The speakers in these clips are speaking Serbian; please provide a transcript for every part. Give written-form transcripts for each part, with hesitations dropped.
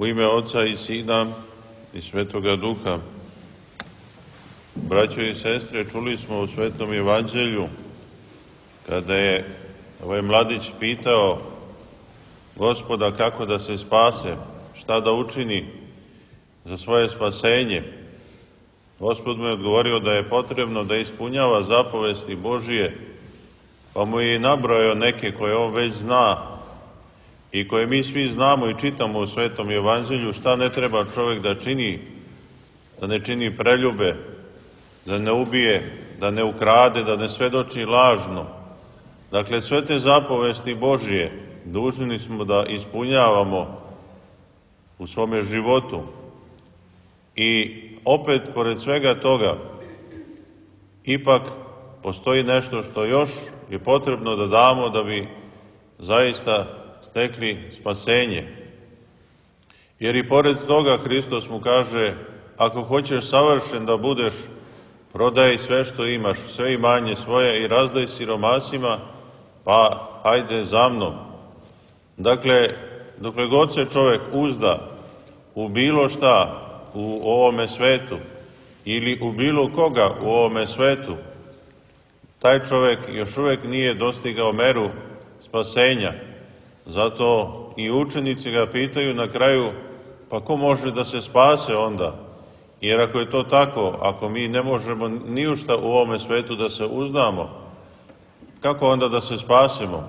U ime Oca i Sina i Svetoga Duha. Braćo i sestre, čuli smo u Svetom Evanđelju kada je ovaj mladić pitao Gospoda kako da se spase, šta da učini za svoje spasenje. Gospod mu je odgovorio da je potrebno da ispunjava zapovesti Božije, pa mu je i nabrojao neke koje on već zna i koje mi svi znamo i čitamo u Svetom Evanđelju, šta ne treba čovjek da čini, da ne čini preljube, da ne ubije, da ne ukrade, da ne svedoči lažno. Dakle, sve te zapovesti Božije dužni smo da ispunjavamo u svome životu. I opet, pored svega toga, ipak postoji nešto što još je potrebno da damo da bi zaista stekli spasenje. Jer i pored toga Hristos mu kaže, ako hoćeš savršen da budeš, prodaj sve što imaš, sve imanje svoje i razdaj siromasima, pa hajde za mnom. Dakle, dokle god se čovjek uzda u bilo šta u ovome svetu ili u bilo koga u ovome svetu, taj čovjek još uvijek nije dostigao meru spasenja. Zato i učenici ga pitaju na kraju, pa ko može da se spase onda? Jer ako je to tako, ako mi ne možemo ni u šta u ovome svetu da se uzdamo, kako onda da se spasemo?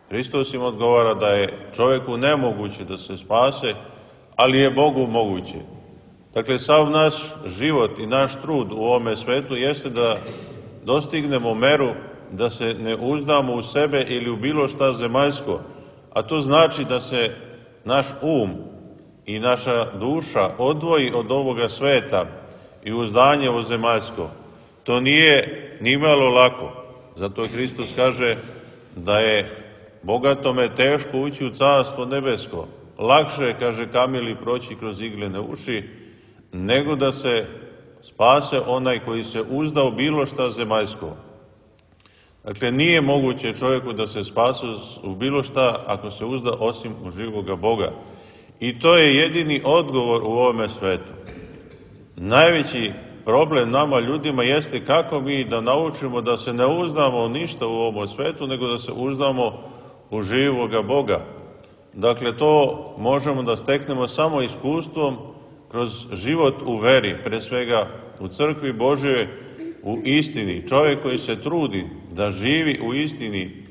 Hristos im odgovara da je čovjeku nemoguće da se spase, ali je Bogu moguće. Dakle, sav naš život i naš trud u ovome svetu jeste da dostignemo meru da se ne uzdamo u sebe ili u bilo šta zemaljsko, a to znači da se naš um i naša duša odvoji od ovoga sveta i uzdanje u zemaljsko. To nije nimalo lako. Zato Hristos kaže da je bogatome teško ući u carstvo nebesko. Lakše, kaže, kamili proći kroz iglene uši, nego da se spase onaj koji se uzda u bilo šta zemaljsko. Dakle, nije moguće čovjeku da se spase u bilo šta ako se uzda osim u živoga Boga. I to je jedini odgovor u ovome svetu. Najveći problem nama ljudima jeste kako mi da naučimo da se ne uzdamo u ništa u ovom svetu, nego da se uzdamo u živoga Boga. Dakle, to možemo da steknemo samo iskustvom kroz život u veri, pre svega u crkvi Božjoj, u istini. Čovjek koji se trudi da živi u istini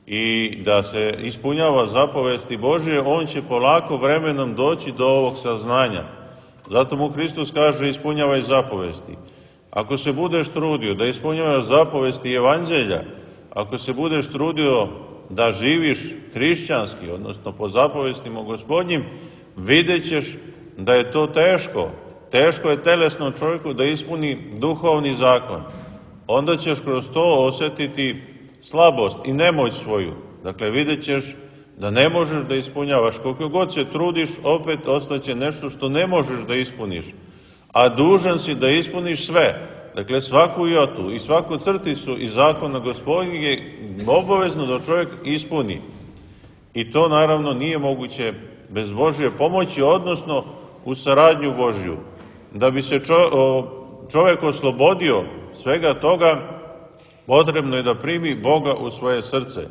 i da se ispunjava zapovesti Božje, on će polako vremenom doći do ovog saznanja. Zato mu Hristos kaže, ispunjavaj zapovesti. Ako se budeš trudio da ispunjavaš zapovesti Evanđelja, ako se budeš trudio da živiš hrišćanski, odnosno po zapovestima Gospodnjim, vidjet ćeš da je to teško. Teško je telesnom čovjeku da ispuni duhovni zakon. Onda ćeš kroz to osjetiti slabost i nemoć svoju. Dakle, vidjet ćeš da ne možeš da ispunjavaš. Koliko god se trudiš, opet ostaće nešto što ne možeš da ispuniš. A dužan si da ispuniš sve. Dakle, svaku jotu i svaku crticu iz zakona Gospodnjeg je obavezno da čovjek ispuni. I to naravno nije moguće bez Božje pomoći, odnosno u saradnju Božju. Da bi se čovjek oslobodio svega toga, potrebno je da primi Boga u svoje srce.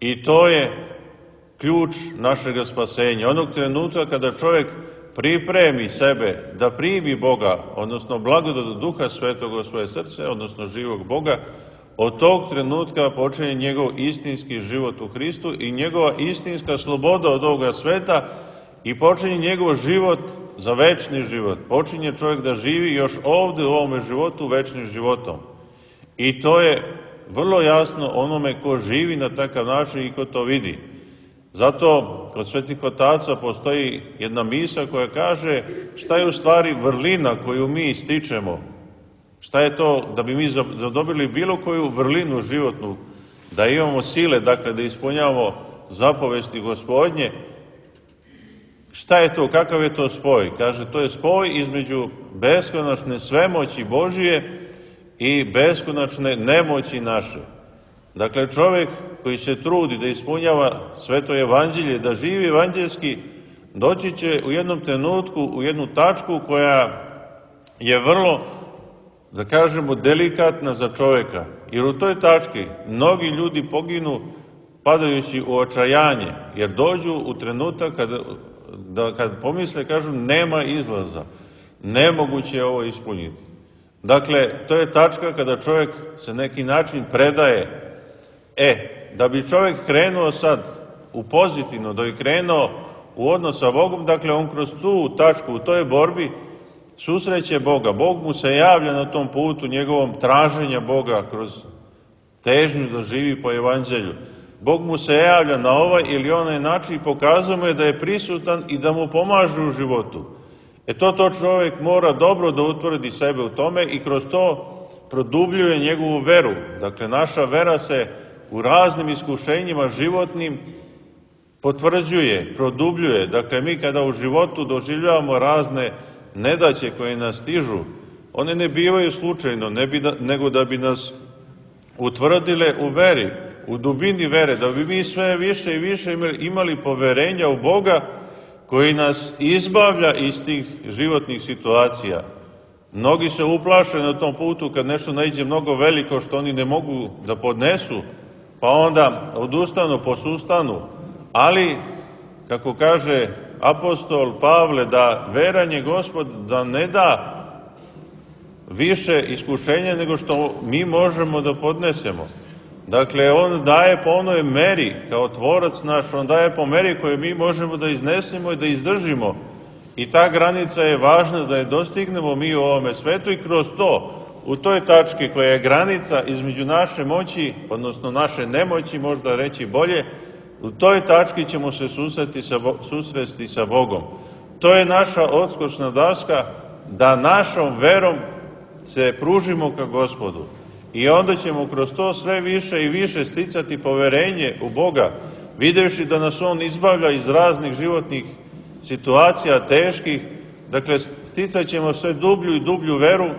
I to je ključ našega spasenja. Onog trenutka kada čovjek pripremi sebe da primi Boga, odnosno blagodat Duha Svetog u svoje srce, odnosno živog Boga, od tog trenutka počinje njegov istinski život u Hristu i njegova istinska sloboda od ovoga sveta i počinje njegov život za večni život. Počinje čovjek da živi još ovdje u ovome životu večnim životom. I to je vrlo jasno onome ko živi na takav način i ko to vidi. Zato kod svetih otaca postoji jedna misa koja kaže šta je u stvari vrlina koju mi stičemo. Šta je to da bi mi zadobili bilo koju vrlinu životnu, da imamo sile, dakle da ispunjavamo zapovesti Gospodnje. Šta je to, kakav je to spoj? Kaže, to je spoj između beskonačne svemoći Božije i beskonačne nemoći naše. Dakle, čovjek koji se trudi da ispunjava sveto evanđelje, da živi evanđelski, doći će u jednom trenutku, u jednu tačku koja je vrlo, da kažemo, delikatna za čovjeka. Jer u toj tački mnogi ljudi poginu padajući u očajanje, jer dođu u trenutak kad pomisle, kažu, nema izlaza, nemoguće je ovo ispuniti. Dakle, to je tačka kada čovjek se neki način predaje. Da bi čovjek krenuo sad u pozitivno, da bi krenuo u odnos sa Bogom, dakle, on kroz tu tačku, u toj borbi, susreće Boga. Bog mu se javlja na tom putu njegovom traženja Boga kroz težnju da živi po evanđelju. Bog mu se javlja na ovaj ili onaj način i pokazuje mu da je prisutan i da mu pomaže u životu. To čovjek mora dobro da utvrdi sebe u tome i kroz to produbljuje njegovu veru. Dakle, naša vera se u raznim iskušenjima životnim potvrđuje, produbljuje. Dakle, mi kada u životu doživljavamo razne nedaće koje nas stižu, one ne bivaju slučajno, nego da bi nas utvrdile u veri, u dubini vere, da bi mi sve više i više imali poverenja u Boga koji nas izbavlja iz tih životnih situacija. Mnogi se uplaše na tom putu kad nešto naiđe mnogo veliko što oni ne mogu da podnesu, pa onda odustanu, posustanu, ali, kako kaže apostol Pavle, da veranje Gospod da ne da više iskušenja nego što mi možemo da podnesemo. Dakle, on daje po onoj meri, kao tvorac naš, on daje po meri koju mi možemo da iznesemo i da izdržimo. I ta granica je važna da je dostignemo mi u ovome svetu i kroz to, u toj tački koja je granica između naše moći, odnosno naše nemoći, možda reći bolje, u toj tački ćemo se susresti sa Bogom. To je naša odskočna daska da našom verom se pružimo ka Gospodu. I onda ćemo kroz to sve više i više sticati poverenje u Boga, videvši da nas On izbavlja iz raznih životnih situacija teških. Dakle, sticat ćemo sve dublju i dublju veru,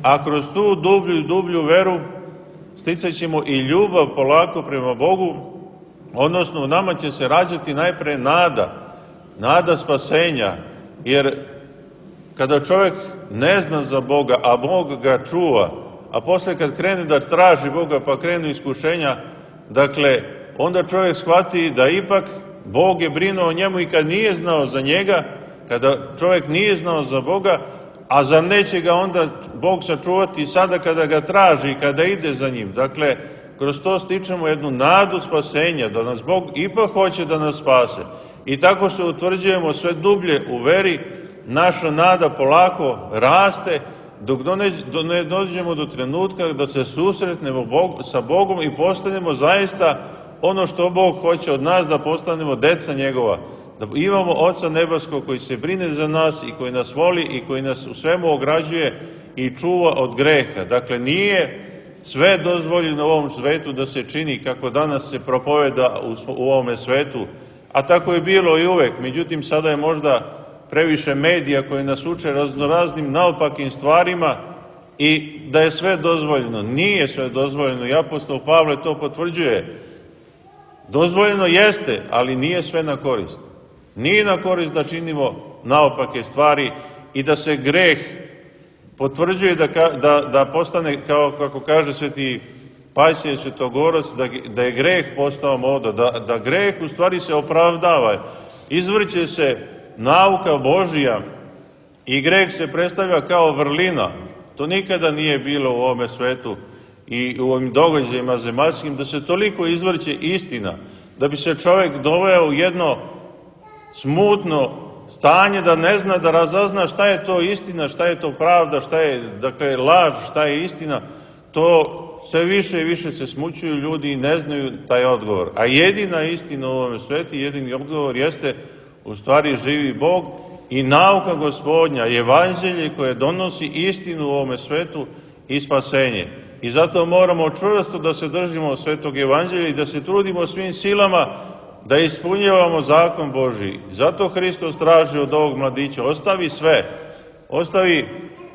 a kroz tu dublju i dublju veru sticat ćemo i ljubav polako prema Bogu, odnosno u nama će se rađati najpre nada spasenja, jer kada čovjek ne zna za Boga, a Bog ga čuva, a posle kad krene da traži Boga pa krenu iskušenja, dakle, onda čovjek shvati da ipak Bog je brinuo o njemu i kad nije znao za njega, kada čovjek nije znao za Boga, a zar neće ga onda Bog sačuvati i sada kada ga traži i kada ide za njim. Dakle, kroz to stičemo jednu nadu spasenja, da nas Bog ipak hoće da nas spase. I tako se utvrđujemo sve dublje u veri, naša nada polako raste, dok ne dođemo do trenutka da se susretnemo sa Bogom i postanemo zaista ono što Bog hoće od nas, da postanemo deca njegova, da imamo Oca nebeskog koji se brine za nas i koji nas voli i koji nas u svemu ograđuje i čuva od greha. Dakle, nije sve dozvoljeno u ovom svetu da se čini kako danas se propoveda u ovome svetu, a tako je bilo i uvek. Međutim, sada je možda previše medija koji nas uče raznoraznim naopakim stvarima i da je sve dozvoljeno. Nije sve dozvoljeno i apostol Pavle to potvrđuje. Dozvoljeno jeste, ali nije sve na korist. Nije na korist da činimo naopake stvari i da se greh potvrđuje da postane, kao kako kaže sveti Pajsije Svetogorac, da je greh postao moda, da greh u stvari se opravdava. Izvrće se nauka Božija i greh se predstavlja kao vrlina. To nikada nije bilo u ovome svetu i u ovim događajima zemaljskim, da se toliko izvrće istina, da bi se čovjek doveo u jedno smutno stanje, da ne zna, da razazna šta je to istina, šta je to pravda, šta je, dakle, laž, šta je istina. To sve više i više se smućuju ljudi i ne znaju taj odgovor. A jedina istina u ovome svetu, jedini odgovor jeste u stvari živi Bog i nauka Gospodnja, evanđelje koje donosi istinu u ovome svetu i spasenje. I zato moramo čvrsto da se držimo svetog evanđelja i da se trudimo svim silama da ispunjavamo zakon Božiji. Zato Hristos traži od ovog mladića: ostavi sve,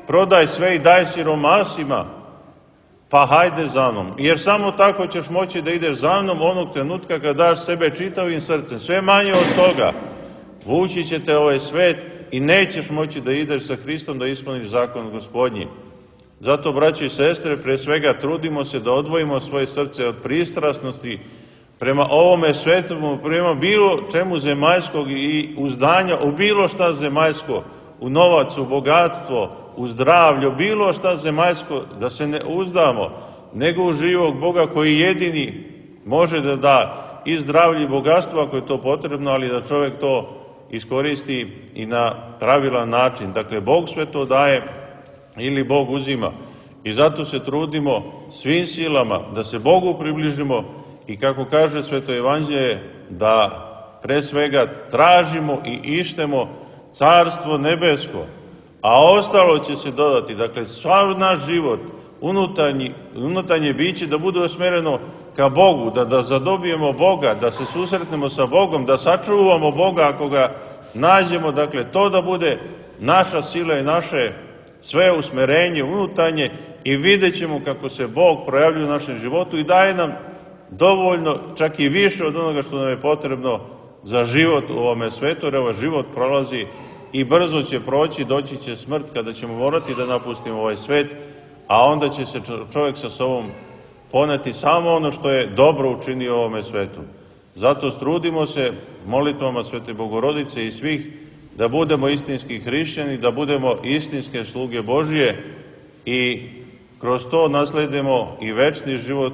prodaj sve i daj siromasima, pa hajde za mnom. Jer samo tako ćeš moći da ideš za mnom onog trenutka kad daš sebe čitavim srcem. Sve manje od toga, vući će te ovaj svet i nećeš moći da ideš sa Hristom da ispuniš zakon Gospodnji. Zato, braći i sestre, pre svega trudimo se da odvojimo svoje srce od pristrasnosti prema ovome svetu, prema bilo čemu zemaljskog i uzdanja u bilo šta zemaljsko, u novac, u bogatstvo, u zdravlje, u bilo šta zemaljsko, da se ne uzdamo, nego u živog Boga koji jedini može da da i zdravlje i bogatstvo ako je to potrebno, ali da čovjek to iskoristi i na pravilan način. Dakle, Bog sve to daje ili Bog uzima. I zato se trudimo svim silama da se Bogu približimo i, kako kaže Sveto Evanđelje, da pre svega tražimo i ištemo Carstvo nebesko, a ostalo će se dodati. Dakle, sav naš život, unutarnje biće da bude usmereno ka Bogu, da zadobijemo Boga, da se susretnemo sa Bogom, da sačuvamo Boga ako ga nađemo. Dakle, to da bude naša sila i naše sve usmerenje unutarnje i vidjet ćemo kako se Bog projavljuje u našem životu i daje nam dovoljno, čak i više od onoga što nam je potrebno za život u ovome svetu, jer ovaj život prolazi i brzo će proći, doći će smrt kada ćemo morati da napustimo ovaj svet, a onda će se čovjek sa sobom poneti samo ono što je dobro učinio u ovome svetu. Zato trudimo se molitvama Svete Bogorodice i svih da budemo istinski hrišćani, da budemo istinske sluge Božije i kroz to nasledimo i večni život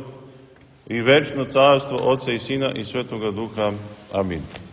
i večno carstvo Oca i Sina i Svetoga Duha. Amin.